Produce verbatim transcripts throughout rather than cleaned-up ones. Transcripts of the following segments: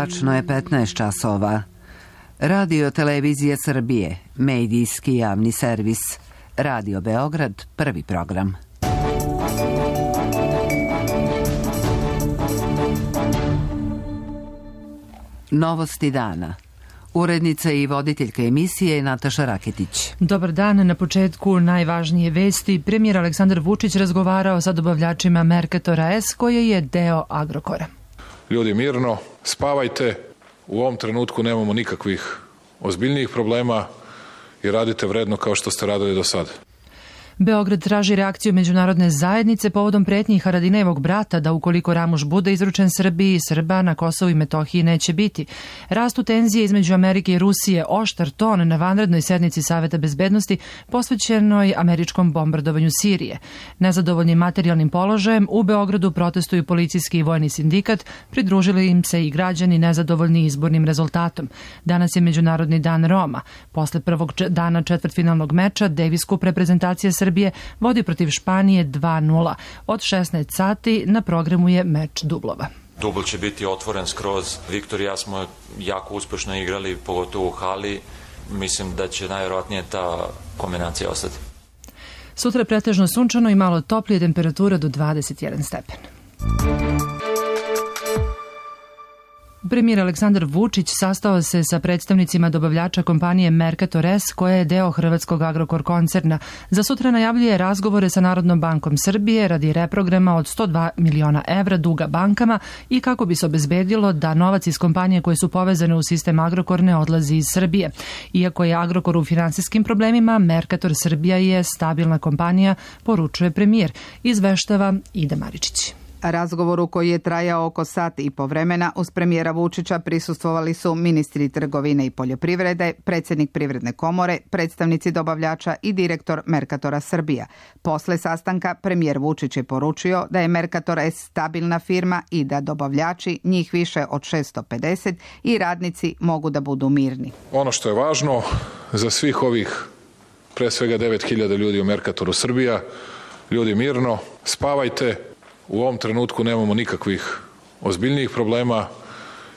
Tačno je petnaest časova. Radio Televizija Srbije, medijski javni servis. Radio Beograd, prvi program. Novosti dana. Urednica i voditeljka emisije je Nataša Raketić. Dobar dan. Na početku najvažnije vesti. Premijer Aleksandar Vučić razgovarao sa dobavljačima Mercatora S, koje je deo Agrokora. Ljudi, mirno, spavajte. U ovom trenutku nemamo nikakvih ozbiljnijih problema i radite vredno kao što ste radili do sada. Beograd traži reakciju međunarodne zajednice povodom pretnji Haradinejevog brata da ukoliko Ramuš bude izručen Srbiji, Srba na Kosovu i Metohiji neće biti. Rastu tenzije između Amerike i Rusije, oštar ton na vanrednoj sednici Saveta bezbednosti posvećenoj američkom bombardovanju Sirije. Nezadovoljni materijalnim položajem u Beogradu protestuju policijski i vojni sindikat, pridružili im se i građani nezadovoljni izbornim rezultatom. Danas je Međunarodni dan Roma. Posle prvog dana četvrtfinalnog meča Davis Cup reprezentacija Srbije vodi protiv Španije dva nula. Od šesnaest sati na programu je meč dublova. Dubl će biti otvoren skroz. Viktor i ja smo jako uspešno igrali, pogotovo u hali. Mislim da će najvjerojatnije ta kombinacija ostati. Sutra je pretežno sunčano i malo toplije, temperatura do dvadeset jedan stepen. Premijer Aleksandar Vučić sastao se sa predstavnicima dobavljača kompanije Mercator S, koja je deo hrvatskog Agrokor koncerna. Za sutra najavljuje razgovore sa Narodnom bankom Srbije radi reprograma od sto dva miliona evra duga bankama i kako bi se obezbedilo da novac iz kompanije koje su povezane u sistem Agrokor ne odlazi iz Srbije. Iako je Agrokor u finansijskim problemima, Mercator Srbija je stabilna kompanija, poručuje premijer. Izveštava Ida Maričić. Razgovoru koji je trajao oko sat i po vremena uz premijera Vučića prisustvovali su ministri trgovine i poljoprivrede, predsjednik Privredne komore, predstavnici dobavljača i direktor Mercatora Srbija. Posle sastanka premijer Vučić je poručio da je Mercator S stabilna firma i da dobavljači, njih više od šesto pedeset, i radnici mogu da budu mirni. Ono što je važno za svih ovih pre svega devet hiljada ljudi u Mercatoru Srbija, ljudi mirno, spavajte. U ovom trenutku nemamo nikakvih ozbiljnijih problema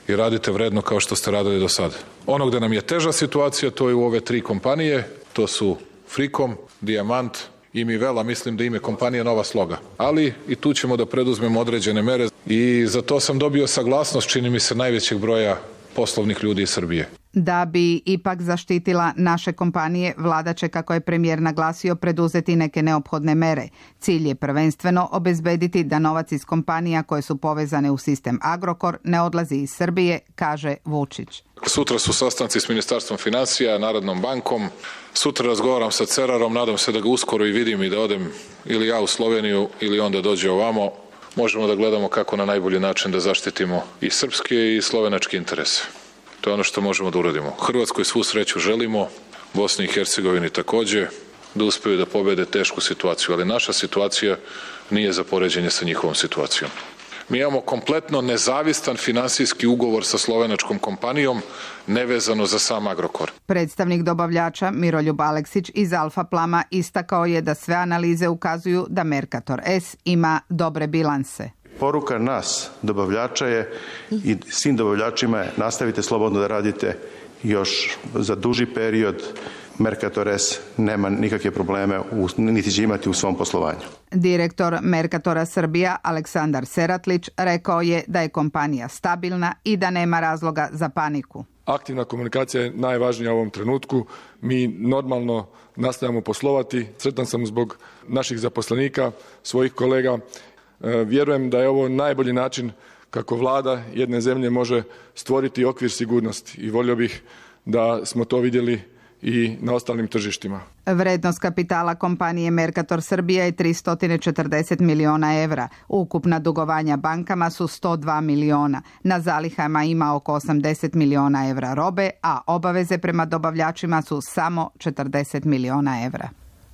i radite vredno kao što ste radili do sada. Ono gde nam je teža situacija, to je u ove tri kompanije, to su Frikom, Dijamant i Mivela, mislim da ime kompanije Nova Sloga. Ali i tu ćemo da preduzmemo određene mere i za to sam dobio saglasnost, čini mi se, najvećeg broja poslovnih ljudi iz Srbije. Da bi ipak zaštitila naše kompanije, vlada će, kako je premijer naglasio, preduzeti neke neophodne mere. Cilj je prvenstveno obezbediti da novac iz kompanija koje su povezane u sistem Agrokor ne odlazi iz Srbije, kaže Vučić. Sutra su sastanci s Ministarstvom financija, Narodnom bankom. Sutra razgovaram sa Cerarom, nadam se da ga uskoro i vidim i da odem ili ja u Sloveniju ili on da dođe ovamo. Možemo da gledamo kako na najbolji način da zaštitimo i srpske i slovenačke interese. To je ono što možemo da uradimo. Hrvatskoj svu sreću želimo, Bosni i Hercegovini takođe, da uspeju da pobede tešku situaciju, ali naša situacija nije za poređenje sa njihovom situacijom. Mi imamo kompletno nezavistan finansijski ugovor sa slovenačkom kompanijom, nevezano za sam Agrokor. Predstavnik dobavljača Miroljub Aleksić iz Alfa Plama istakao je da sve analize ukazuju da Mercator S ima dobre bilanse. Poruka nas, dobavljača, je i svim dobavljačima je nastavite slobodno da radite još za duži period. Mercator S nema nikakve probleme, niti će imati u svom poslovanju. Direktor Mercatora Srbija Aleksandar Seratlić rekao je da je kompanija stabilna i da nema razloga za paniku. Aktivna komunikacija je najvažnija u ovom trenutku. Mi normalno nastavljamo poslovati. Sretan sam zbog naših zaposlenika, svojih kolega. Vjerujem da je ovo najbolji način kako vlada jedne zemlje može stvoriti okvir sigurnosti i volio bih da smo to vidjeli i na ostalim tržištima. Vrednost kapitala kompanije Mercator Srbija je tristo četrdeset miliona evra. Ukupna dugovanja bankama su sto dva miliona. Na zalihama ima oko osamdeset miliona evra robe, a obaveze prema dobavljačima su samo četrdeset miliona evra.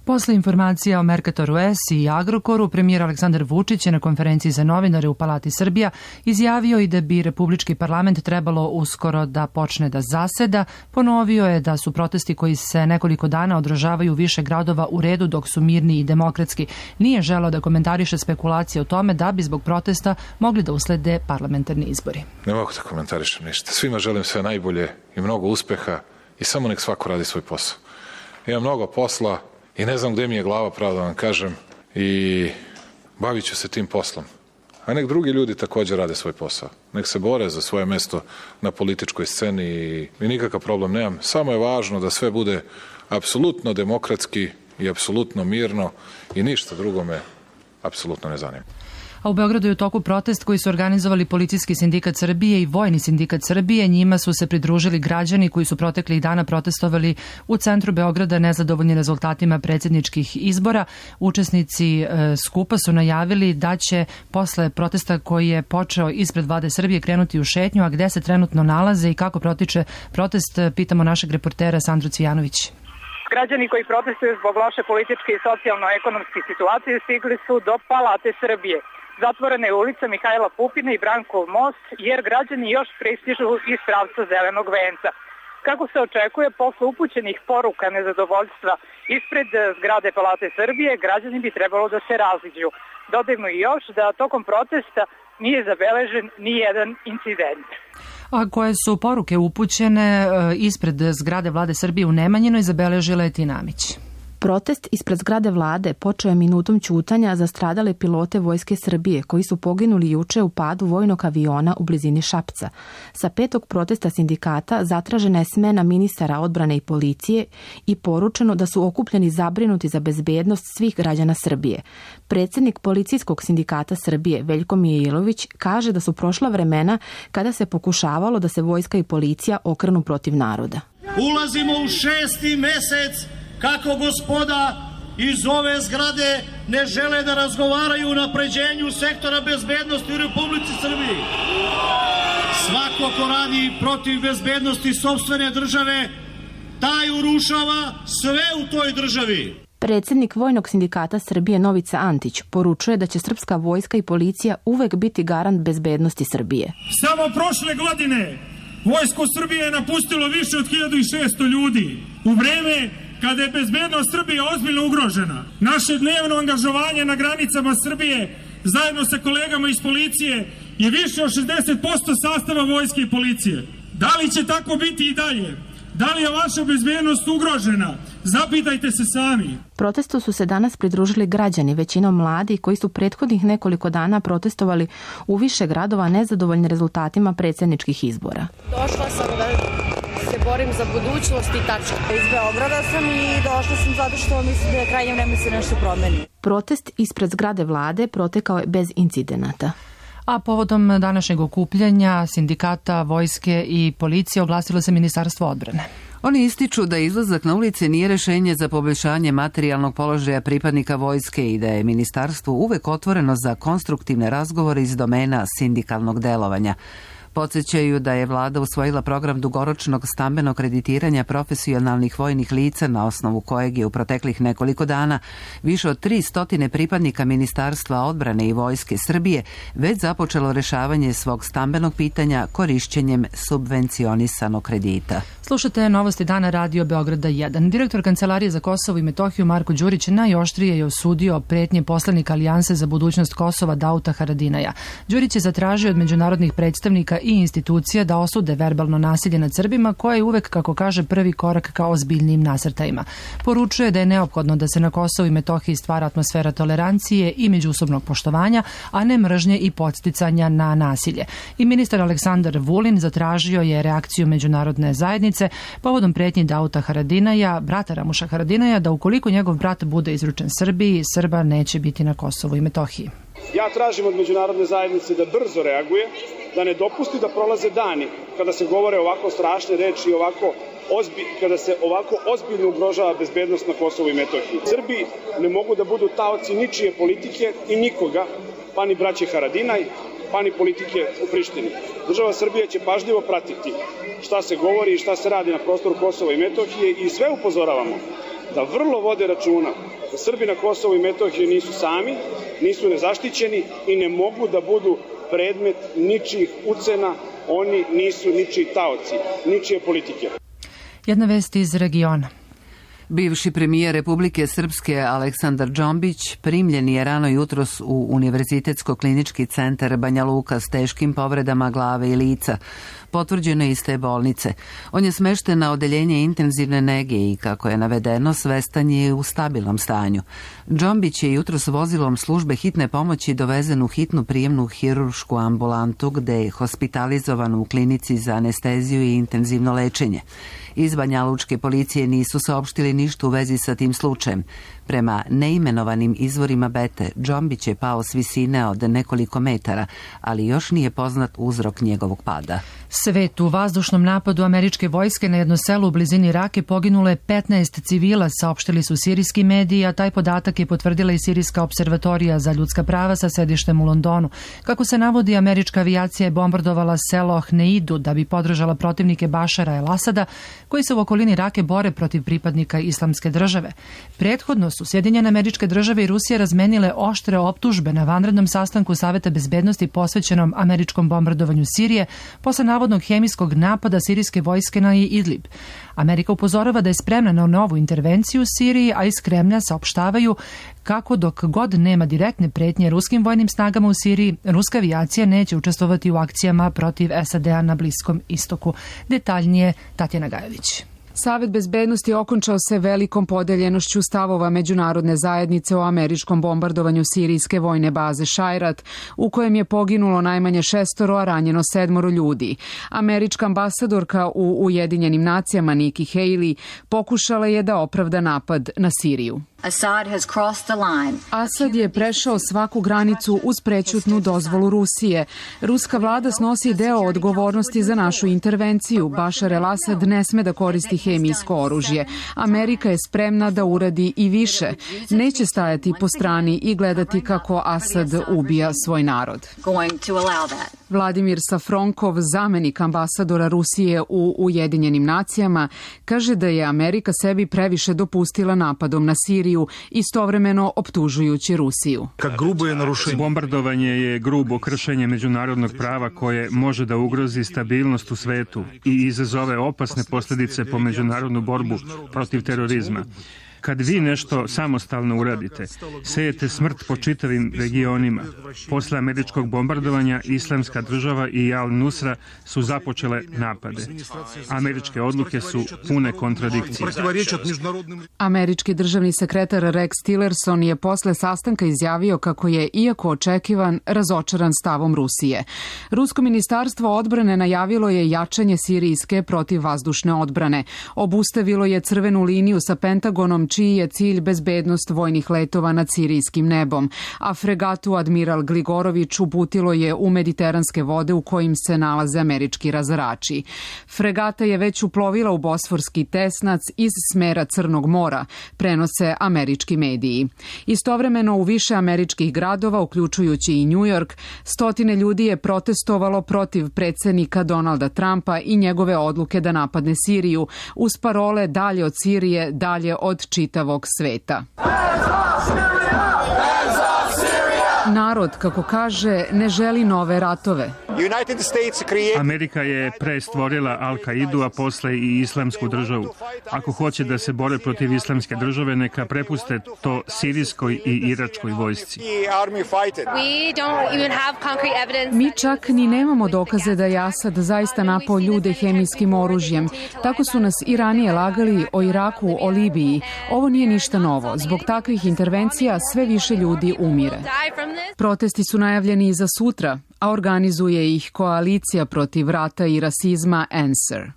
Posle informacija o Mercatoru S i Agrokoru, premijer Aleksandar Vučić je na konferenciji za novinare u Palati Srbija izjavio i da bi Republički parlament trebalo uskoro da počne da zaseda. Ponovio je da su protesti koji se nekoliko dana održavaju u više gradova u redu dok su mirni i demokratski. Nije želeo da komentariše spekulacije o tome da bi zbog protesta mogli da uslede parlamentarni izbori. Ne mogu da komentarišem ništa. Svima želim sve najbolje i mnogo uspeha i samo nek svako radi svoj posao. Ima mnogo posla i ne znam gde mi je glava, pravo da vam kažem, i bavit ću se tim poslom. A nek drugi ljudi također rade svoj posao. Nek se bore za svoje mesto na političkoj sceni i, i nikakav problem nemam. Samo je važno da sve bude apsolutno demokratski i apsolutno mirno i ništa drugo me apsolutno ne zanima. A u Beogradu je u toku protest koji su organizovali Policijski sindikat Srbije i Vojni sindikat Srbije. Njima su se pridružili građani koji su proteklih dana protestovali u centru Beograda nezadovoljni rezultatima predsjedničkih izbora. Učesnici e, skupa su najavili da će posle protesta koji je počeo ispred vlade Srbije krenuti u šetnju, a gde se trenutno nalaze i kako protiče protest, pitamo našeg reportera Sandru Cvijanović. Građani koji protestuju zbog loše političke i socijalno-ekonomske situacije stigli su do Palate Srbije. Zatvorena je ulica Mihajla Pupina i Brankov most, jer građani još pristižu iz pravca Zelenog venca. Kako se očekuje, posle upućenih poruka nezadovoljstva ispred zgrade Palate Srbije, građani bi trebalo da se raziđu. Dodajmo i još da tokom protesta nije zabeležen ni jedan incident. A koje su poruke upućene ispred zgrade vlade Srbije u Nemanjinoj, zabeležila je Tina Amić. Protest ispred zgrade vlade počeo je minutom ćutanja za stradale pilote Vojske Srbije koji su poginuli juče u padu vojnog aviona u blizini Šapca. Sa petog protesta sindikata zatražena je smena ministara odbrane i policije i poručeno da su okupljeni zabrinuti za bezbednost svih građana Srbije. Predsjednik Policijskog sindikata Srbije Veljko Mijailović kaže da su prošla vremena kada se pokušavalo da se vojska i policija okrenu protiv naroda. Ulazimo u šesti mesec kako gospoda iz ove zgrade ne žele da razgovaraju o napređenju sektora bezbednosti u Republici Srbiji. Svako ko radi protiv bezbednosti sopstvene države, taj urušava sve u toj državi. Predsjednik Vojnog sindikata Srbije Novica Antić poručuje da će srpska vojska i policija uvek biti garant bezbednosti Srbije. Samo prošle godine Vojsko Srbije je napustilo više od hiljadu šesto ljudi. U vreme kada je bezbednost Srbije ozbiljno ugrožena, naše dnevno angažovanje na granicama Srbije zajedno sa kolegama iz policije je više od šezdeset posto sastava vojske i policije. Da li će tako biti i dalje? Da li je vaša bezbednost ugrožena? Zapitajte se sami. Protestu su se danas pridružili građani, većinom mladi, koji su prethodnih nekoliko dana protestovali u više gradova nezadovoljni rezultatima predsjedničkih izbora. Došla sam da se borim za budućnost i tačka. Iz Beograda sam i došla sam zato što mislim da je krajnje vreme se nešto promeni. Protest ispred zgrade vlade protekao je bez incidenata. A povodom današnjeg okupljanja sindikata, vojske i policije oglasilo se Ministarstvo odbrane. Oni ističu da izlazak na ulice nije rešenje za poboljšanje materijalnog položaja pripadnika vojske i da je ministarstvo uvek otvoreno za konstruktivne razgovore iz domena sindikalnog delovanja. Podsjećaju da je vlada usvojila program dugoročnog stambenog kreditiranja profesionalnih vojnih lica na osnovu kojeg je u proteklih nekoliko dana više od tri stotine pripadnika Ministarstva odbrane i Vojske Srbije već započelo rešavanje svog stambenog pitanja korišćenjem subvencionisanog kredita. Slušate novosti dana Radio Beograda jedan. Direktor Kancelarije za Kosovo i Metohiju Marko Đurić najoštrije je osudio pretnje poslanika Alijanse za budućnost Kosova Dauta Haradinaja. Đurić je zatražio od međunarodnih predstavnika i institucija da osude verbalno nasilje nad Srbima, koje je uvek, kako kaže, prvi korak ka ozbiljnim nasrtajima. Poručuje da je neophodno da se na Kosovu i Metohiji stvara atmosfera tolerancije i međusobnog poštovanja, a ne mržnje i podsticanja na nasilje. I ministar Aleksandar Vulin zatražio je reakciju međunarodne zajednice povodom pretnji Dauta Haradinaja, brata Ramuša Haradinaja, da ukoliko njegov brat bude izručen Srbiji, Srba neće biti na Kosovu i Metohiji. Ja tražim od međunarodne zajednice da brzo reaguje, da ne dopusti da prolaze dani kada se govore ovako strašne reči i ovako ozbi, kada se ovako ozbiljno ugrožava bezbednost na Kosovu i Metohiji. Srbi ne mogu da budu taoci ničije politike i nikoga, pa ni braće Haradinaj, pa ni politike u Prištini. Država Srbija će pažljivo pratiti šta se govori i šta se radi na prostoru Kosova i Metohije i sve upozoravamo da vrlo vode računa da Srbi na Kosovu i Metohiji nisu sami, nisu nezaštićeni i ne mogu da budu predmet ničijih ucena, oni nisu ničiji taoci, ničije politike. Jedna vest iz regiona. Bivši premijer Republike Srpske Aleksandar Džombić primljen je rano jutros u Univerzitetsko-klinički centar Banja Luka s teškim povredama glave i lica. Potvrđeno je iz te bolnice. On je smešten na odeljenje intenzivne nege i, kako je navedeno, svestan je u stabilnom stanju. Džombić je jutros vozilom službe hitne pomoći dovezen u hitnu prijemnu hiruršku ambulantu gde je hospitalizovan u klinici za anesteziju i intenzivno lečenje. Iz Banja Lučke policije nisu saopštili ništa u vezi sa tim slučajem. Prema neimenovanim izvorima Bete, Džombić je pao s visine od nekoliko metara, ali još nije poznat uzrok njegovog pada. Svet u vazdušnom napadu američke vojske na jedno selo u blizini Rake poginulo je petnaest civila, saopštili su sirijski mediji, a taj podatak je potvrdila i Sirijska observatorija za ljudska prava sa sedištem u Londonu. Kako se navodi, američka avijacija je bombardovala selo Hneidu da bi podržala protivnike Bašara el-Asada, koji se u okolini Rake bore protiv pripadnika Islamske države. Prethodno su Sjedinjene Američke Države i Rusija razmenile oštre optužbe na vanrednom sastanku Saveta bezbednosti posvećenom američkom bombardovanju Sirije posle navodnog hemijskog napada sirijske vojske na Idlib. Amerika upozorava da je spremna na novu intervenciju u Siriji, a iz Kremlja saopštavaju kako dok god nema direktne pretnje ruskim vojnim snagama u Siriji, ruska avijacija neće učestvovati u akcijama protiv S A D-a na Bliskom istoku. Detaljnije Tatjana Gajević. Savet bezbednosti okončao se velikom podeljenošću stavova međunarodne zajednice o američkom bombardovanju sirijske vojne baze Šajrat, u kojem je poginulo najmanje šestoro, a ranjeno sedmoro ljudi. Američka ambasadorka u Ujedinjenim nacijama Nikki Haley pokušala je da opravda napad na Siriju. Asad je prešao svaku granicu uz prećutnu dozvolu Rusije. Ruska vlada snosi deo odgovornosti za našu intervenciju. Bašar el-Asad ne sme da koristi hemijsko oružje. Amerika je spremna da uradi i više. Neće stajati po strani i gledati kako Asad ubija svoj narod. Vladimir Safronkov, zamenik ambasadora Rusije u Ujedinjenim nacijama, kaže da je Amerika sebi previše dopustila napadom na Siriju, istovremeno optužujući Rusiju. Bombardovanje je grubo kršenje međunarodnog prava koje može da ugrozi stabilnost u svetu i izazove opasne posljedice po međunarodnu borbu protiv terorizma. Kad vi nešto samostalno uradite, sejete smrt po čitavim regionima. Posle američkog bombardovanja Islamska država i Al-Nusra su započele napade. Američke odluke su pune kontradikcije. Američki državni sekretar Rex Tillerson je posle sastanka izjavio kako je, iako očekivan, razočaran stavom Rusije. Rusko ministarstvo odbrane najavilo je jačanje sirijske protivvazdušne odbrane. Obustavilo je crvenu liniju sa Pentagonom, čiji je cilj bezbednost vojnih letova nad sirijskim nebom, a fregatu Admiral Gligorović uputilo je u mediteranske vode u kojim se nalaze američki razarači. Fregata je već uplovila u Bosforski tesnac iz smera Crnog mora, prenose američki mediji. Istovremeno u više američkih gradova, uključujući i New York, stotine ljudi je protestovalo protiv predsjednika Donalda Trumpa i njegove odluke da napadne Siriju, uz parole dalje od Sirije, dalje od čitavog sveta. Narod, kako kaže, ne želi nove ratove. Amerika je pre stvorila Al-Kaidu, a posle i Islamsku državu. Ako hoće da se bore protiv Islamske države, neka prepuste to sirijskoj i iračkoj vojsci. Mi čak ni nemamo dokaze da je Asad zaista napao ljude hemijskim oružjem. Tako su nas i ranije lagali o Iraku, o Libiji. Ovo nije ništa novo. Zbog takvih intervencija sve više ljudi umire. Protesti su najavljeni i za sutra, a organizuje ih koalicija protiv rata i rasizma Answer.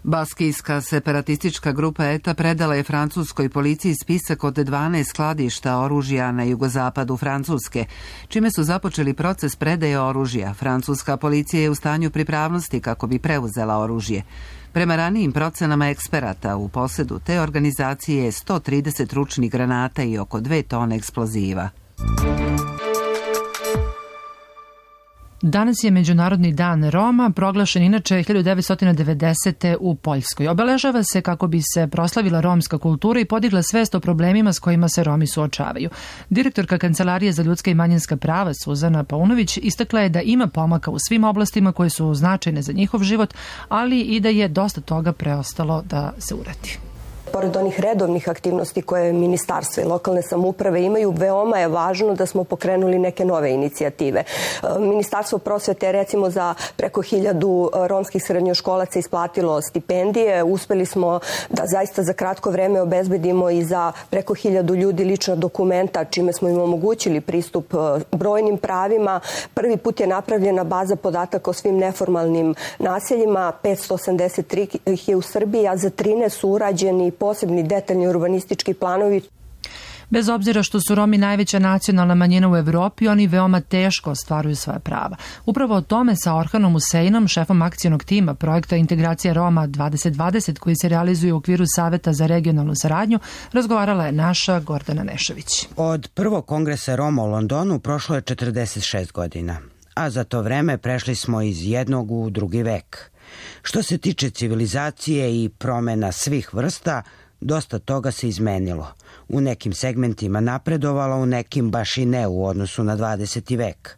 Baskijska separatistička grupa E T A predala je francuskoj policiji spisak od dvanaest skladišta oružja na jugozapadu Francuske, čime su započeli proces predaje oružja. Francuska policija je u stanju pripravnosti kako bi preuzela oružje. Prema ranijim procenama eksperata, u posedu te organizacije je sto trideset ručnih granata i oko dve tone eksploziva. Danas je Međunarodni dan Roma, proglašen inače hiljadu devetsto devedesete. u Poljskoj. Obeležava se kako bi se proslavila romska kultura i podigla svest o problemima s kojima se Romi suočavaju. Direktorka Kancelarije za ljudska i manjinska prava Suzana Paunović istakla je da ima pomaka u svim oblastima koje su značajne za njihov život, ali i da je dosta toga preostalo da se uradi. Pored onih redovnih aktivnosti koje ministarstva i lokalne samouprave imaju, veoma je važno da smo pokrenuli neke nove inicijative. Ministarstvo prosvete je recimo za preko hiljadu romskih srednjoškolaca isplatilo stipendije. Uspeli smo da zaista za kratko vreme obezbedimo i za preko hiljadu ljudi lična dokumenta, čime smo im omogućili pristup brojnim pravima. Prvi put je napravljena baza podataka o svim neformalnim naseljima, petsto osamdeset tri ih je u Srbiji, a za trinaest su urađeni posebni detaljni urbanistički planovi. Bez obzira što su Romi najveća nacionalna manjina u Evropi, oni veoma teško ostvaruju svoja prava. Upravo o tome sa Orhanom Useinom, šefom akcionog tima projekta Integracija Roma dvadeset dvadeset, koji se realizuje u okviru Saveta za regionalnu saradnju, razgovarala je naša Gordana Nešović. Od prvog kongresa Roma u Londonu prošlo je četrdeset šest godina, a za to vreme prešli smo iz jednog u drugi vek. Što se tiče civilizacije i promena svih vrsta, dosta toga se izmenilo. U nekim segmentima napredovalo, u nekim baš i ne u odnosu na dvadeseti vek.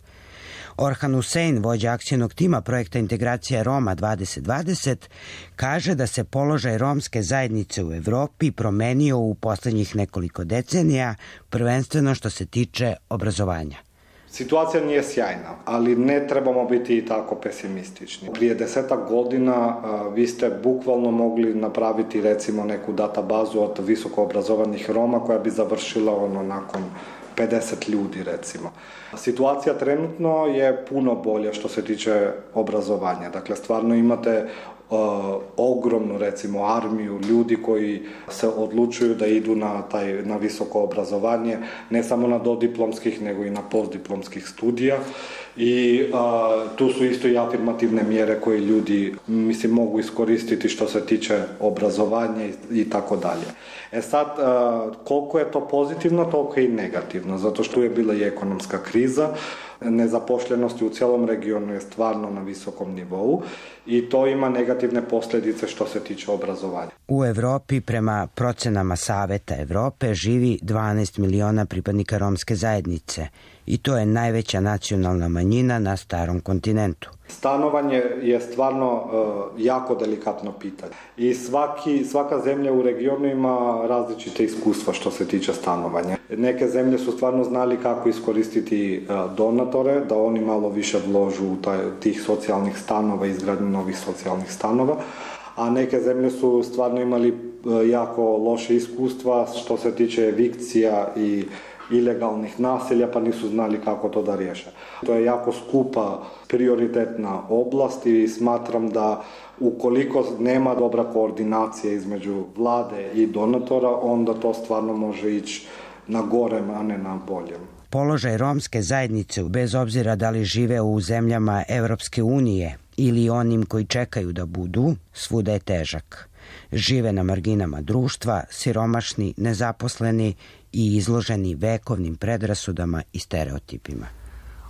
Orhan Usein, vođa akcionog tima projekta Integracija Roma dvadeset dvadeset, kaže da se položaj romske zajednice u Evropi promenio u poslednjih nekoliko decenija, prvenstveno što se tiče obrazovanja. Situacija nije sjajna, ali ne trebamo biti i tako pesimistični. Prije desetak godina vi ste bukvalno mogli napraviti recimo neku databazu od visoko obrazovanih Roma koja bi završila ono nakon pedeset ljudi recimo. Situacija trenutno je puno bolja što se tiče obrazovanja. Dakle, stvarno imate Uh, ogromnu recimo armiju ljudi koji se odlučuju da idu na taj na visoko obrazovanje, ne samo na dodiplomskih nego i na postdiplomskih studija i uh, tu su isto i afirmativne mjere koje ljudi mislim mogu iskoristiti što se tiče obrazovanja i, i tako dalje. E sad, uh, koliko je to pozitivno, toliko je i negativno, zato što je bila i ekonomska kriza, nezapošljenosti u cijelom regionu je stvarno na visokom nivou i to ima negativne posljedice što se tiče obrazovanja. U Evropi prema procenama Saveta Evrope živi dvanaest miliona pripadnika romske zajednice i to je najveća nacionalna manjina na starom kontinentu. Stanovanje je stvarno uh, jako delikatno pitanje i svaki, svaka zemlja u regionu ima različite iskustva što se tiče stanovanja. Neke zemlje su stvarno znali kako iskoristiti uh, donatore, da oni malo više vložu u taj, tih socijalnih stanova, izgradnju novih socijalnih stanova, a neke zemlje su stvarno imali uh, jako loše iskustva što se tiče evikcija i ilegalnih naselja, pa nisu znali kako to da riješe. To je jako skupa prioritetna oblast i smatram da ukoliko nema dobra koordinacija između vlade i donatora, onda to stvarno može ići na gorem, a ne na boljem. Položaj romske zajednice, bez obzira da li žive u zemljama Evropske unije ili onim koji čekaju da budu, svuda je težak. Žive na marginama društva, siromašni, nezaposleni i izloženi vekovnim predrasudama i stereotipima.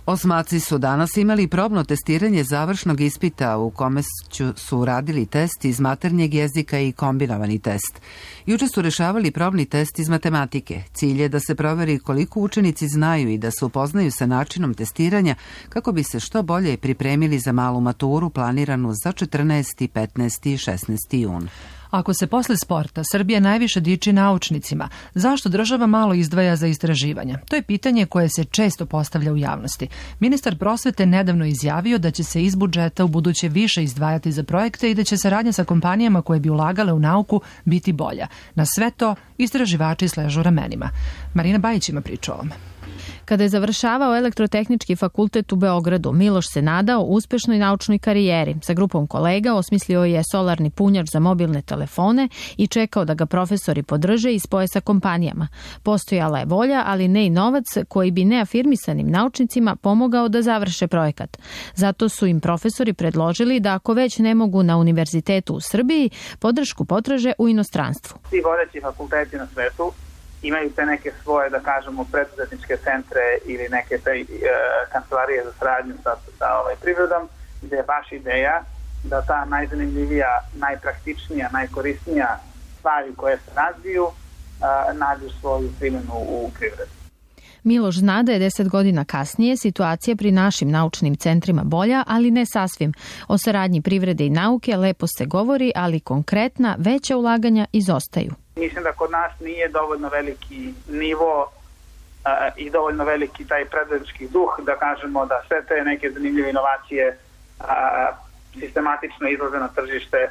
Osmaci su danas imali probno testiranje završnog ispita u kome su uradili test iz maternjeg jezika i kombinovani test. Juče su rešavali probni test iz matematike. Cilj je da se proveri koliko učenici znaju i da se upoznaju sa načinom testiranja kako bi se što bolje pripremili za malu maturu planiranu za četrnaesti, petnaesti i šesnaesti jun. Ako se posle sporta Srbija najviše diči naučnicima, zašto država malo izdvaja za istraživanja? To je pitanje koje se često postavlja u javnosti. Ministar prosvete nedavno izjavio da će se iz budžeta u buduće više izdvajati za projekte i da će saradnja sa kompanijama koje bi ulagale u nauku biti bolja. Na sve to istraživači sležu ramenima. Marina Bajić ima priču o ovome. Kada je završavao Elektrotehnički fakultet u Beogradu, Miloš se nadao uspešnoj naučnoj karijeri. Sa grupom kolega osmislio je solarni punjač za mobilne telefone i čekao da ga profesori podrže i spoje sa kompanijama. Postojala je volja, ali ne i novac koji bi neafirmisanim naučnicima pomogao da završe projekat. Zato su im profesori predložili da ako već ne mogu na univerzitetu u Srbiji, podršku potraže u inostranstvu. Svi vodeći fakulteti na svetu imaju te neke svoje, da kažemo, preduzetničke centre ili neke te e, kancelarije za saradnju sa, sa ovaj, privredom, gde je baš ideja da ta najzanimljivija, najpraktičnija, najkorisnija stvari koje se razviju a, nađu svoju primjenu u privredu. Miloš zna da je deset godina kasnije situacija pri našim naučnim centrima bolja, ali ne sasvim. O saradnji privrede i nauke lepo se govori, ali konkretna veća ulaganja izostaju. Mislim da kod nas nije dovoljno veliki nivo a, i dovoljno veliki taj preduzetnički duh da kažemo da sve te neke zanimljive inovacije a, sistematično izlaze na tržište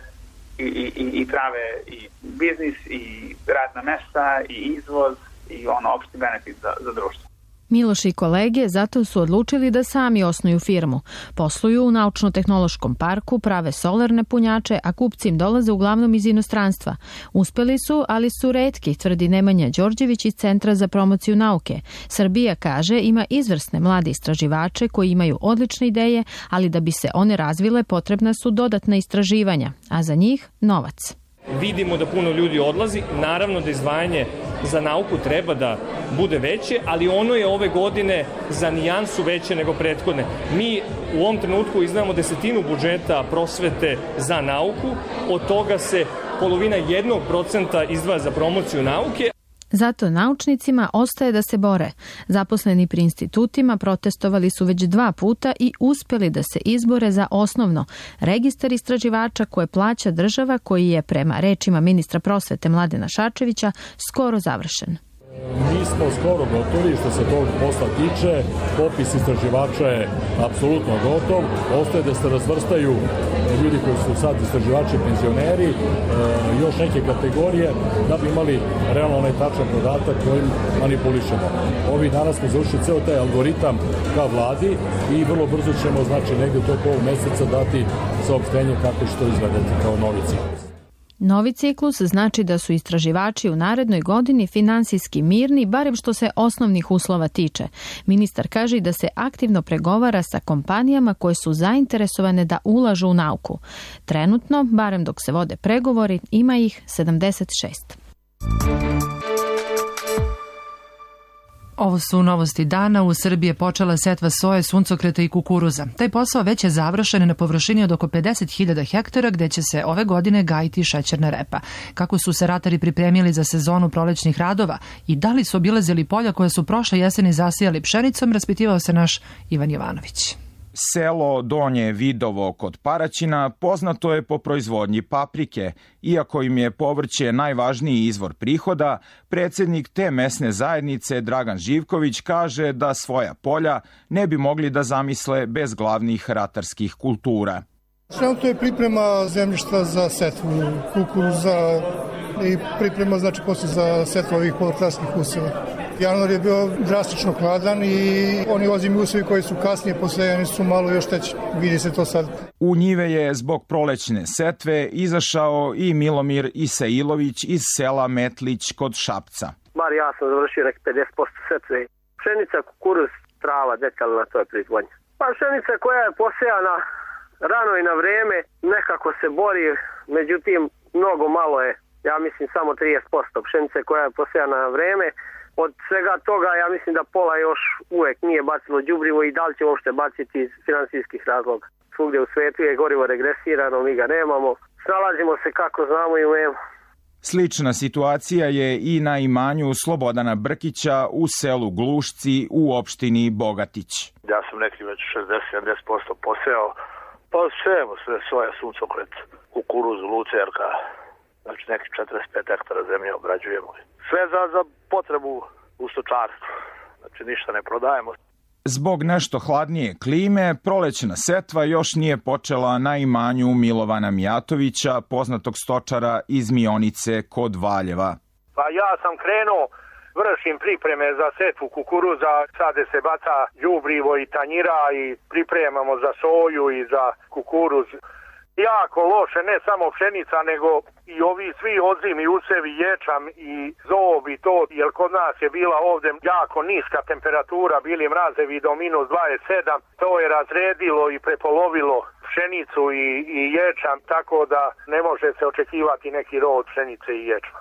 i, i, i prave i biznis i radna mesta i izvoz i ono opšti benefit za, za društvo. Miloš i kolege zato su odlučili da sami osnuju firmu. Posluju u naučno-tehnološkom parku, prave solarne punjače, a kupci im dolaze uglavnom iz inostranstva. Uspeli su, ali su retki, tvrdi Nemanja Đorđević iz Centra za promociju nauke. Srbija, kaže, ima izvrsne mlade istraživače koji imaju odlične ideje, ali da bi se one razvile potrebna su dodatna istraživanja, a za njih novac. Vidimo da puno ljudi odlazi, naravno da izdvajanje za nauku treba da bude veće, ali ono je ove godine za nijansu veće nego prethodne. Mi u ovom trenutku izdvajamo desetinu budžeta prosvete za nauku, od toga se polovina jednog procenta izdvaja za promociju nauke. Zato naučnicima ostaje da se bore. Zaposleni pri institutima protestovali su već dva puta i uspeli da se izbore za osnovno registar istraživača koje plaća država, koji je prema rečima ministra prosvete Mladena Šarčevića skoro završen. Mi smo skoro gotovi što se tog posla tiče, popis istraživača je apsolutno gotov, ostaje da se razvrstaju ljudi koji su sad istraživači penzioneri, e, još neke kategorije da bi imali realno onaj tačan podatak kojim manipulišemo. Ovi danas smo završili ceo taj algoritam ka vladi i vrlo brzo ćemo, znači negde u toku ovog meseca dati saopštenje kako će to izgledati kao novi ciklus. Novi ciklus znači da su istraživači u narednoj godini finansijski mirni, barem što se osnovnih uslova tiče. Ministar kaže da se aktivno pregovara sa kompanijama koje su zainteresovane da ulažu u nauku. Trenutno, barem dok se vode pregovori, ima ih sedamdeset šest. Ovo su novosti dana. U Srbiji je počela setva soje, suncokreta i kukuruza. Taj posao već je završen na površini od oko pedeset hiljada hektara gde će se ove godine gajiti šećerna repa. Kako su se ratari pripremili za sezonu prolećnih radova i da li su obilazili polja koje su prošle jeseni zasijali pšenicom, raspitivao se naš Ivan Jovanović. Selo Donje Vidovo kod Paraćina poznato je po proizvodnji paprike. Iako im je povrće najvažniji izvor prihoda, predsjednik te mesne zajednice Dragan Živković kaže da svoja polja ne bi mogli da zamisle bez glavnih ratarskih kultura. Trenutno je priprema zemljišta za setvu kukuruza i priprema znači posle za setvu ovih povrtlarskih useva. Januar je bio drastično hladan i oni ozimi usevi koji su kasnije posejani su malo još teći. Vidi se to sad. U njive je zbog prolećne setve izašao i Milomir Isailović iz sela Metlić kod Šapca. Bar ja sam završio nek pedeset posto setve. Pšenica, kukuruz, trava, detaljna, to je proizvodnja. Pa pšenica koja je posejana rano i na vreme, nekako se bori, međutim mnogo malo je, ja mislim samo trideset posto pšenice koja je posejana na vreme. Od svega toga ja mislim da pola još uvek nije bacilo đubrivo i da li će uopšte baciti iz finansijskih razloga. Svugdje u svetu je gorivo regresirano, mi ga nemamo, snalazimo se kako znamo i umemo. Slična situacija je i na imanju Slobodana Brkića u selu Glušci u opštini Bogatić. Ja sam neki već šezdeset do sedamdeset posto poseo, pa sejemo sve svoje suncokret, kukuruz, lucerka, znači neki četrdeset pet hektara zemlje obrađujemo. Sve za, za potrebu u stočarstvu, znači ništa ne prodajemo. Zbog nešto hladnije klime, prolećna setva još nije počela na imanju Milovana Mijatovića, poznatog stočara iz Mionice kod Valjeva. Pa ja sam krenuo, vršim pripreme za setvu kukuruza, sade se baca đubrivo i tanjira i pripremamo za soju i za kukuruz. Jako loše, ne samo pšenica, nego i ovi svi odzimi, usevi, ječam i zob i to, jer kod nas je bila ovde jako niska temperatura, bili mrazevi do minus dvadeset sedam, to je razredilo i prepolovilo pšenicu i, i ječam, tako da ne može se očekivati neki rod pšenice i ječma.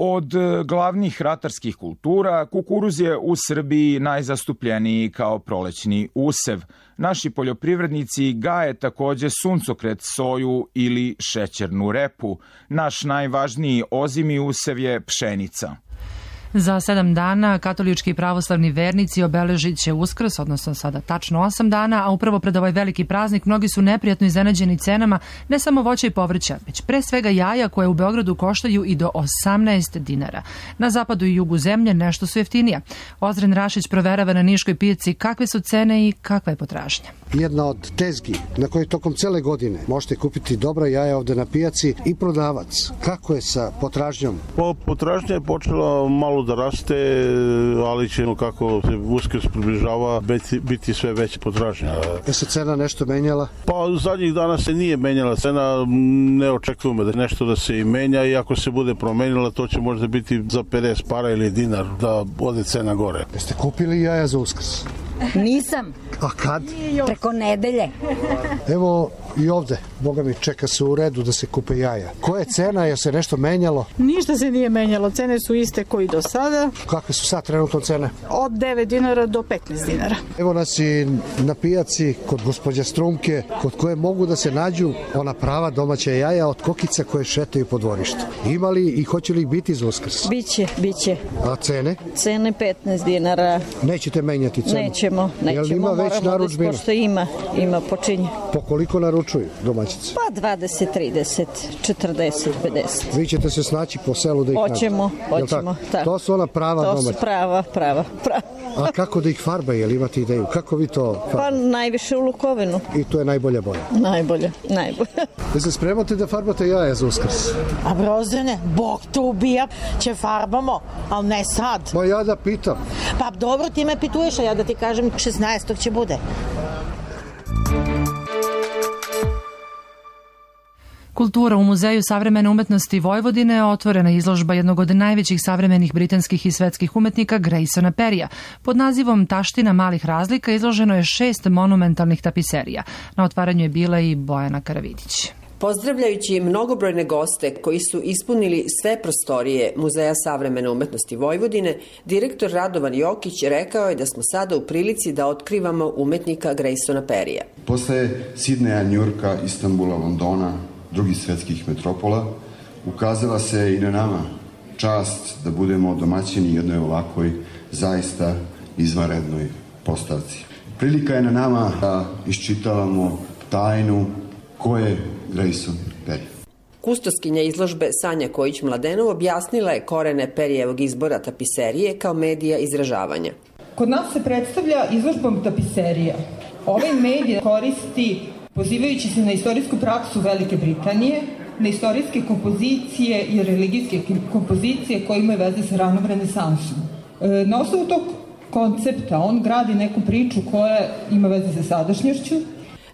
Od glavnih ratarskih kultura, kukuruz je u Srbiji najzastupljeniji kao prolećni usev. Naši poljoprivrednici gaje takođe suncokret, soju ili šećernu repu. Naš najvažniji ozimi usev je pšenica. Za sedam dana katolički i pravoslavni vernici obeležit će Uskrs, odnosno sada tačno osam dana, a upravo pred ovaj veliki praznik mnogi su neprijatno iznenađeni cenama ne samo voća i povrća, već pre svega jaja koje u Beogradu koštaju i do osamnaest dinara. Na zapadu i jugu zemlje nešto su jeftinija. Ozren Rašić proverava na niškoj pijaci kakve su cene i kakva je potražnja. Jedna od tezgi na kojoj tokom cele godine možete kupiti dobra jaja ovde na pijaci i prodavac. Kako je sa potražnjom? Po, potražnja je počela malo da raste, ali ćemo kako se Uskrs približava biti, biti sve veća potražnja. Je se cena nešto menjala? Pa zadnjih dana se nije menjala cena, ne očekujemo da nešto da se i menja i ako se bude promenila to će možda biti za pedeset para ili dinar da ode cena gore. Jeste kupili jaja za Uskrs? Nisam. A kad? Preko nedelje. Evo i ovde, boga mi, čeka se u redu da se kupe jaja. Koja je cena, je se nešto menjalo? Ništa se nije menjalo, cene su iste koji do sada. Kakve su sad trenutno cene? Od devet dinara do petnaest dinara. Evo nas i na pijaci kod gospođa Strumke, kod koje mogu da se nađu ona prava domaća jaja od kokica koje šetaju po dvorištu. Ima li i hoće li ih biti za Uskrs? Biće, biće. A cene? Cene petnaest dinara. Nećete menjati cenu? Nećemo, nećemo. Jel ima već narudžbina? Pošto ima, ima počinje. Po koliko naručuju domaćice? Pa dvadeset, trideset, četrdeset, pedeset. Vi ćete se snaći po selu da ih nađete? Hoćemo, hoćemo. Tak? To su ona prava to domaća? To su prava, prava, prava. A kako da ih farba, jel imate ideju? Kako vi to farbate? Pa najviše u lukovinu. I to je najbolja boja? Najbolja, najbolja. Da se spremate da farbate jaja za Uskrs? A Brozdane, Bog te ubija, će farbamo, ali ne sad. Ma ja da pitam. Pa dobro, ti me pituješ, a ja da ti kažem šesnaestog će bude. Kultura u Muzeju savremene umetnosti Vojvodine otvorena izložba jednog od najvećih savremenih britanskih i svetskih umetnika Graysona Perrya. Pod nazivom Taština malih razlika izloženo je šest monumentalnih tapiserija. Na otvaranju je bila i Bojana Karavidić. Pozdravljajući mnogobrojne goste koji su ispunili sve prostorije Muzeja savremene umetnosti Vojvodine, direktor Radovan Jokić rekao je da smo sada u prilici da otkrivamo umetnika Graysona Perrya. Posle Sidneja, Njurka, Istanbula, Londona, drugih svetskih metropola, ukazala se i na nama čast da budemo domaćini jednoj ovakvoj zaista izvanrednoj postavci. Prilika je na nama da iščitavamo tajnu ko je Grayson Perry. Kustoskinja izložbe Sanja Kojić-Mladenov objasnila je korene Perryjevog izbora tapiserije kao medija izražavanja. Kod nas se predstavlja izložbom tapiserija. Ovaj medij koristi pozivajući se na istorijsku praksu Velike Britanije, na istorijske kompozicije i religijske kompozicije koje imaju veze sa ranom renesansom. Na osnovu tog koncepta on gradi neku priču koja ima veze sa sadašnjošću.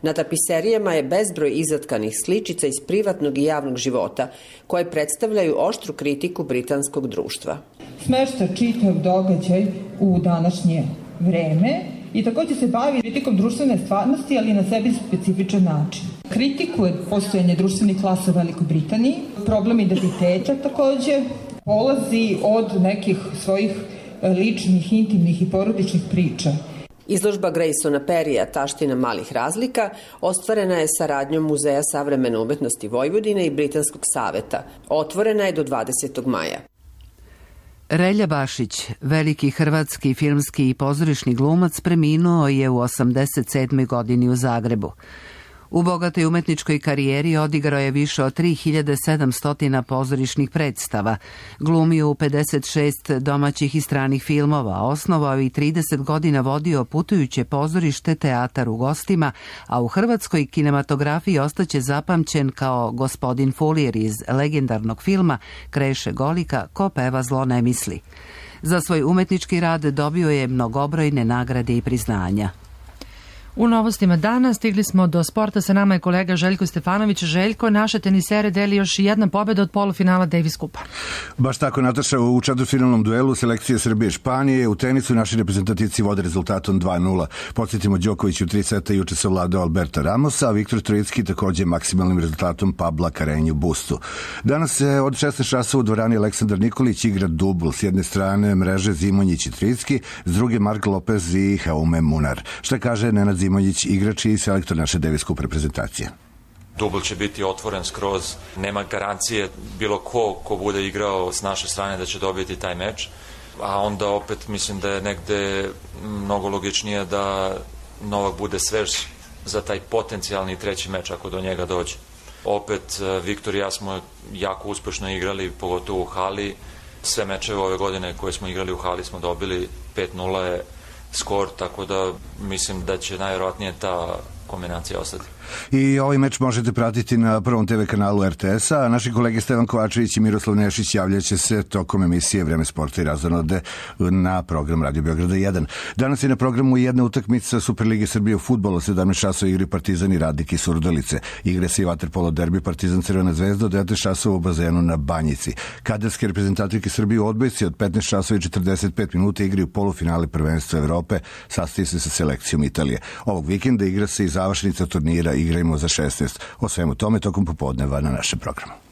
Na tapiserijama je bezbroj izatkanih sličica iz privatnog i javnog života, koje predstavljaju oštru kritiku britanskog društva. Smešta čitav događaj u današnje vreme i takođe se bavi kritikom društvene stvarnosti, ali na sebi specifičan način. Kritikuje postojanje društvenih klasa u Velikoj Britaniji, problem identiteta takođe, polazi od nekih svojih ličnih, intimnih i porodičnih priča. Izložba Graysona Perrya Taština malih razlika ostvarena je saradnjom Muzeja savremene umetnosti Vojvodine i Britanskog saveta. Otvorena je do dvadesetog maja. Relja Bašić, veliki hrvatski filmski i pozorišni glumac, preminuo je u osamdeset sedmoj godini u Zagrebu. U bogatoj umetničkoj karijeri odigrao je više od tri hiljade sedamsto pozorišnih predstava, glumio u pedeset šest domaćih i stranih filmova, osnovao i trideset godina vodio putujuće pozorište Teatar u gostima, a u hrvatskoj kinematografiji ostaće zapamćen kao gospodin Fulir iz legendarnog filma Kreše Golika, Ko peva zlo ne misli. Za svoj umetnički rad dobio je mnogobrojne nagrade i priznanja. U novostima dana stigli smo do sporta, sa nama je kolega Željko Stefanović. Željko, naše tenisere deli još jedna pobjeda od polufinala Davis Kupa. Baš tako, Nataša, u četvrtfinalnom duelu selekcije Srbije i Španije u tenisu naši reprezentativci vode rezultatom dva nula. Podsjetimo, Đoković u tri seta juče savladao Alberta Ramosa, a Viktor Trojicki takođe maksimalnim rezultatom Pabla Karenju Bustu. Danas se od šesnaest časova u dvorani Aleksandar Nikolić igra dubl. S jedne strane mreže Zimonjić i Trojicki, s druge Mark Lopez i Jaume Munar. Šta kaže Nenad Zimonjić, igrač i selektor naše Davis Cup reprezentacije? Dubl će biti otvoren skroz, nema garancije bilo ko ko bude igrao s naše strane da će dobiti taj meč, a onda opet mislim da je negde mnogo logičnije da Novak bude svež za taj potencijalni treći meč ako do njega dođe. Opet Viktor i ja smo jako uspešno igrali, pogotovo u hali. Sve mečeve ove godine koje smo igrali u hali smo dobili, pet nula je skor, tako da mislim da će najvjerojatnije ta kombinacija ostati. I ovaj meč možete pratiti na prvom te ve kanalu er te es a, a naši kolege Stevan Kovačević i Miroslav Nešić javljaće se tokom emisije Vreme sporta i razonode na program Radio Beograda jedan. Danas je na programu jedna utakmica Superlige Srbije u fudbalu, sedamnaest časova igri Partizan i Radnik iz Surdulice. Igre se i vaterpolo derbi Partizan Crvena zvezda od devet časova u bazenu na Banjici. Kaderske reprezentativke Srbije u odbojci od petnaest časova i četrdeset pet minuta igraju polufinale prvenstva Evrope, sastaje se sa selekcijom Italije. Ovog vikenda igra se i završnica turnira Igrajmo za šesnaest. O svemu tome tokom popodneva na našem programu.